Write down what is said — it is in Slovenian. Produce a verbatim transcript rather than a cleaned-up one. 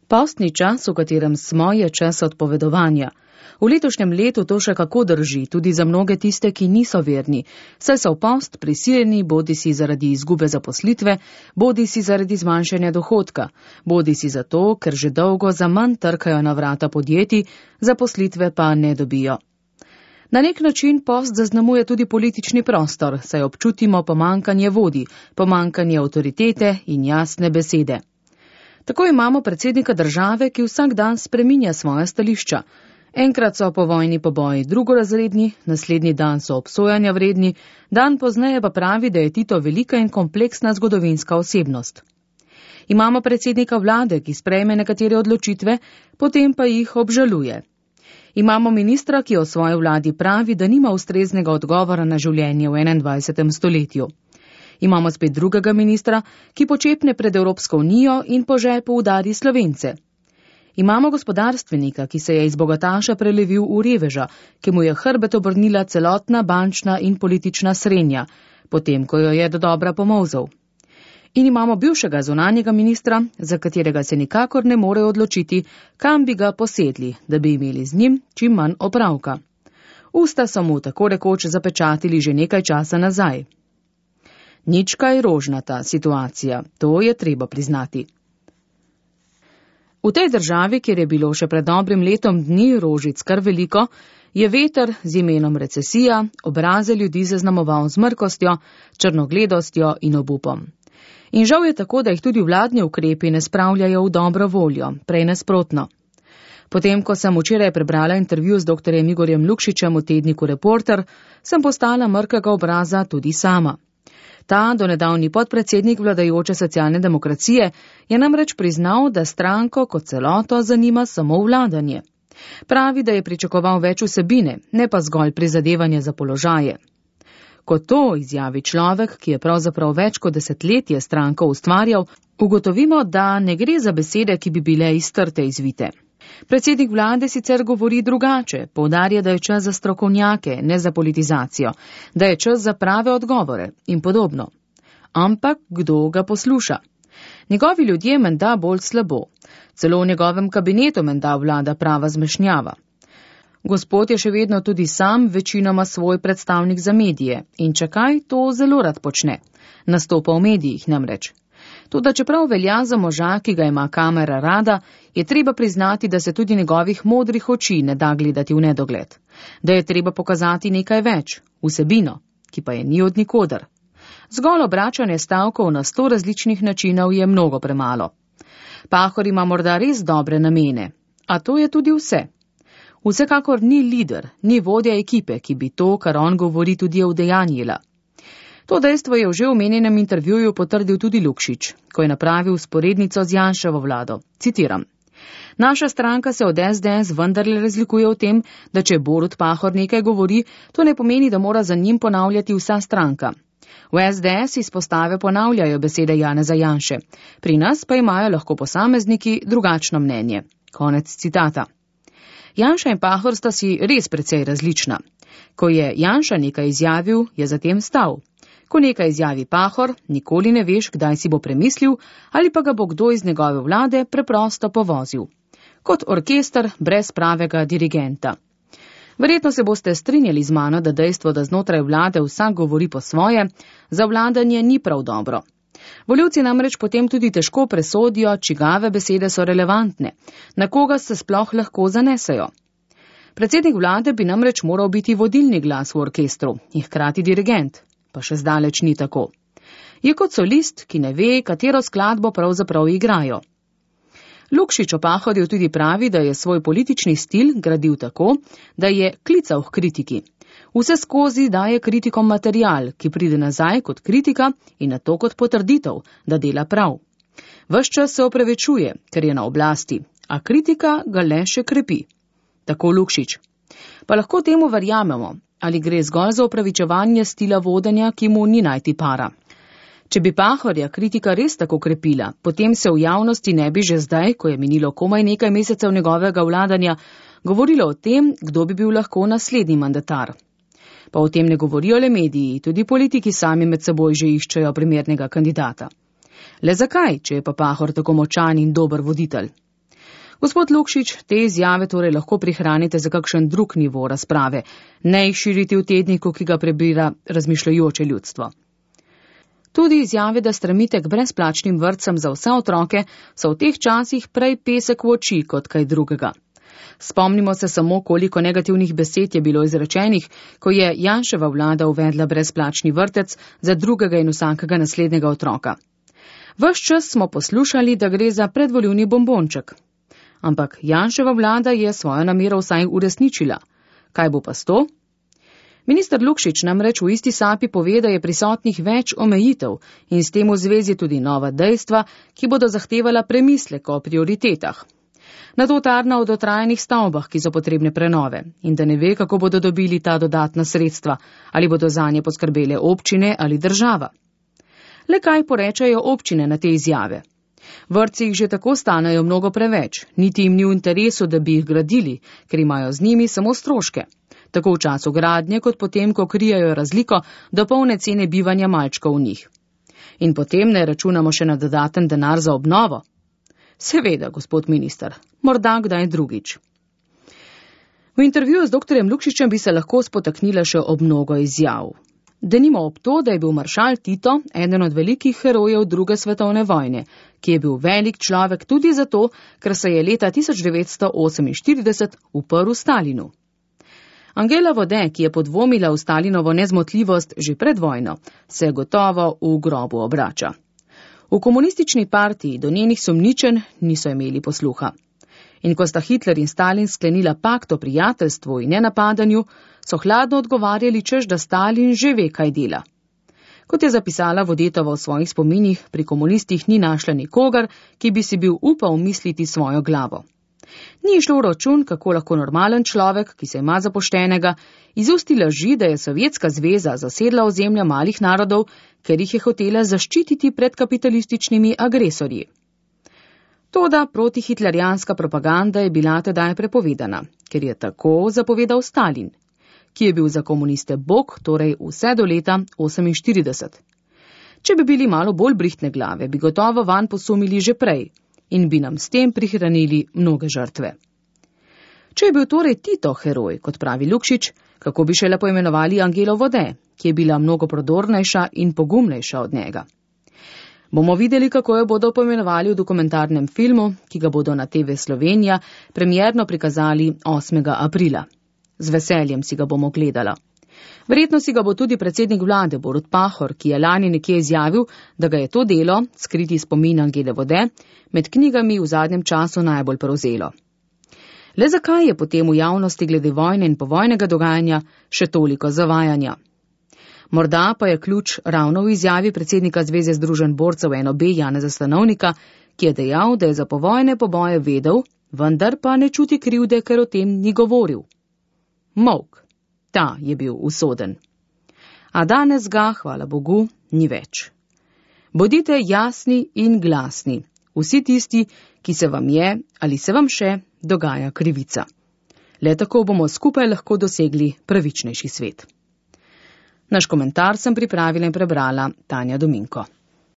Postni čas, v katerem smo, je čas odpovedovanja. V letošnjem letu to še kako drži, tudi za mnoge tiste, ki niso verni, saj so v post prisiljeni bodi si zaradi izgube zaposlitve, bodi si zaradi zmanjšanja dohodka, bodi si zato, ker že dolgo za manj trkajo na vrata podjetij, zaposlitve pa ne dobijo. Na nek način post zaznamuje tudi politični prostor, saj občutimo pomanjkanje vodij, pomanjkanje avtoritete in jasne besede. Tako imamo predsednika države, ki vsak dan spreminja svoja stališča. Enkrat so po vojni poboji drugorazredni, naslednji dan so obsojanja vredni, dan pozneje pa pravi, da je Tito velika in kompleksna zgodovinska osebnost. Imamo predsednika vlade, ki sprejme nekatere odločitve, potem pa jih obžaluje. Imamo ministra, ki o svoji vladi pravi, da nima ustreznega odgovora na življenje v enaindvajsetem stoletju. Imamo spet drugega ministra, ki počepne pred Evropsko unijo in po žepu udari Slovence. Imamo gospodarstvenika, ki se je iz bogataša prelevil v reveža, ki mu je hrbet obrnila celotna bančna in politična srenja, potem ko jo je dodobra pomolzel. In imamo bivšega zunanjega ministra, za katerega se nikakor ne more odločiti, kam bi ga posedli, da bi imeli z njim čim manj opravka. Usta so mu tako rekoč zapečatili že nekaj časa nazaj. Nič kaj rožnata situacija, to je treba priznati. V tej državi, kjer je bilo še pred dobrim letom dni rožic kar veliko, je veter z imenom recesija obraze ljudi zaznamoval z mrkostjo, črnogledostjo in obupom. In žal je tako, da jih tudi vladni ukrepi ne spravljajo v dobro voljo, prej nasprotno. Potem, ko sem včeraj prebrala intervju z doktorjem Igorjem Lukšičem v tedniku Reporter, sem postala mrkega obraza tudi sama. Ta donedavni podpredsednik vladajoče socialne demokracije je namreč priznal, da stranko kot celoto zanima samo vladanje. Pravi, da je pričakoval več vsebine, ne pa zgolj prizadevanje za položaje. Ko to izjavi človek, ki je pravzaprav več kot desetletje stranko ustvarjal, ugotovimo, da ne gre za besede, ki bi bile iztrte izvite. Predsednik vlade sicer govori drugače, poudarja, da je čas za strokovnjake, ne za politizacijo, da je čas za prave odgovore in podobno. Ampak kdo ga posluša? Njegovi ljudje menda bolj slabo. Celo v njegovem kabinetu menda vlada prava zmešnjava. Gospod je še vedno tudi sam večinoma svoj predstavnik za medije in čakaj, to zelo rad počne. Nastopa v medijih namreč. Toda čeprav velja za moža, ki ga ima kamera rada, je treba priznati, da se tudi njegovih modrih oči ne da gledati v nedogled. Da je treba pokazati nekaj več, vsebino, ki pa je ni od nikoder. Zgolj obračanje stavkov na sto različnih načinov je mnogo premalo. Pahor ima morda res dobre namene, a to je tudi vse. Vsekakor ni lider, ni vodja ekipe, ki bi to, kar on govori, tudi udejanjila. To dejstvo je v že omenjenem intervjuju potrdil tudi Lukšič, ko je napravil sporednico z Janševo vlado. Citiram. Naša stranka se od es de es vendarle razlikuje v tem, da če Borut Pahor nekaj govori, to ne pomeni, da mora za njim ponavljati vsa stranka. V es de es izpostave ponavljajo besede Janeza Janše, pri nas pa imajo lahko posamezniki drugačno mnenje. Konec citata. Janša in Pahor sta si res precej različna. Ko je Janša nekaj izjavil, je zatem stal. Ko nekaj izjavi Pahor, nikoli ne veš, kdaj si bo premislil ali pa ga bo kdo iz njegove vlade preprosto povozil. Kot orkester brez pravega dirigenta. Verjetno se boste strinjali z mano, da dejstvo, da znotraj vlade vsak govori po svoje, za vladanje ni prav dobro. Volivci namreč potem tudi težko presodijo, čigave besede so relevantne, na koga se sploh lahko zanesejo. Predsednik vlade bi namreč moral biti vodilni glas v orkestru in hkrati dirigent. Pa še zdaleč ni tako. Je kot solist, ki ne ve, katero skladbo pravzaprav igrajo. Lukšič o Pahorju tudi pravi, da je svoj politični stil gradil tako, da je klical k kritiki. Vse skozi daje kritikom material, ki pride nazaj kot kritika in nato kot potrditev, da dela prav. Ves čas se opravičuje, ker je na oblasti, a kritika ga le še krepi. Tako Lukšič. Pa lahko temu verjamemo, ali gre zgolj za opravičevanje stila vodenja, ki mu ni najti para. Če bi Pahorja kritika res tako krepila, potem se v javnosti ne bi že zdaj, ko je minilo komaj nekaj mesecev njegovega vladanja, govorilo o tem, kdo bi bil lahko naslednji mandatar. Pa o tem ne govorijo le mediji, tudi politiki sami med seboj že iščejo primernega kandidata. Le zakaj, če je pa Pahor tako močan in dober voditelj? Gospod Lukšič, te izjave torej lahko prihranite za kakšen drug nivo razprave, ne jih širiti v tedniku, ki ga prebira razmišljajoče ljudstvo. Tudi izjave, da stremite k brezplačnim vrtcem za vse otroke, so v teh časih prej pesek v oči kot kaj drugega. Spomnimo se samo, koliko negativnih besed je bilo izrečenih, ko je Janševa vlada uvedla brezplačni vrtec za drugega in vsakega naslednjega otroka. Ves čas smo poslušali, da gre za predvoljivni bombonček. Ampak Janševa vlada je svojo namero vsaj uresničila. Kaj bo pa s to? Minister Lukšič namreč v isti sapi pove, da je prisotnih več omejitev in s tem v zvezi tudi nova dejstva, ki bodo zahtevala premislek o prioritetah. Na to tarna o dotrajanih stavbah, ki so potrebne prenove, in da ne ve, kako bodo dobili ta dodatna sredstva, ali bodo zanje poskrbele občine ali država. Le kaj porečajo občine na te izjave? Vrtci jih že tako stanejo mnogo preveč, niti jim ni v interesu, da bi jih gradili, ker imajo z njimi samo stroške. Tako v času gradnje, kot potem, ko krijajo razliko do polne cene bivanja malčkov v njih. In potem ne računamo še na dodaten denar za obnovo. Seveda, gospod minister, morda kdaj drugič. V intervjuju z doktorjem Lukšičem bi se lahko spotaknila še ob mnogo izjav. Denimo ob to, da je bil maršal Tito eden od velikih herojev druge svetovne vojne, ki je bil velik človek tudi zato, ker se je leta tisoč devetsto oseminštirideset uprl Stalinu. Angela Vode, ki je podvomila v Stalinovo nezmotljivost že pred vojno, se gotovo v grobu obrača. V komunistični partiji do njenih sumničenj niso imeli posluha. In ko sta Hitler in Stalin sklenila pakt o prijateljstvu in nenapadanju, so hladno odgovarjali, češ da Stalin že ve, kaj dela. Kot je zapisala Vodetova v svojih spominih, pri komunistih ni našla nikogar, ki bi si bil upal misliti svojo glavo. Ni šlo v račun, kako lahko normalen človek, ki se ima za poštenega, izusti laži, da je Sovjetska zveza zasedla ozemlja malih narodov, ker jih je hotela zaščititi pred kapitalističnimi agresorji. Toda protihitlerjanska propaganda je bila tedaj prepovedana, ker je tako zapovedal Stalin, ki je bil za komuniste bog, torej vse do leta oseminštirideset. Če bi bili malo bolj brihtne glave, bi gotovo vanj posumili že prej in bi nam s tem prihranili mnoge žrtve. Če je bil torej Tito heroj, kot pravi Lukšič, kako bi šele poimenovali Angelo Vode, ki je bila mnogo prodornejša in pogumnejša od njega. Bomo videli, kako jo bodo poimenovali v dokumentarnem filmu, ki ga bodo na T V Slovenija premierno prikazali osmega aprila. Z veseljem si ga bomo gledala. Verjetno si ga bo tudi predsednik vlade Borut Pahor, ki je lani nekje izjavil, da ga je to delo, skriti spomin Angele Vode, med knjigami v zadnjem času najbolj prevzelo. Le zakaj je potem v javnosti glede vojne in povojnega dogajanja še toliko zavajanja? Morda pa je ključ ravno v izjavi predsednika Zveze združenj borcev N O B Janeza Stanovnika, ki je dejal, da je za povojne poboje vedel, vendar pa ne čuti krivde, ker o tem ni govoril. Molk. Ta je bil usoden. A danes ga, hvala Bogu, ni več. Bodite jasni in glasni, vsi tisti, ki se vam je ali se vam še dogaja krivica. Le tako bomo skupaj lahko dosegli pravičnejši svet. Naš komentar sem pripravila in prebrala Tanja Dominko.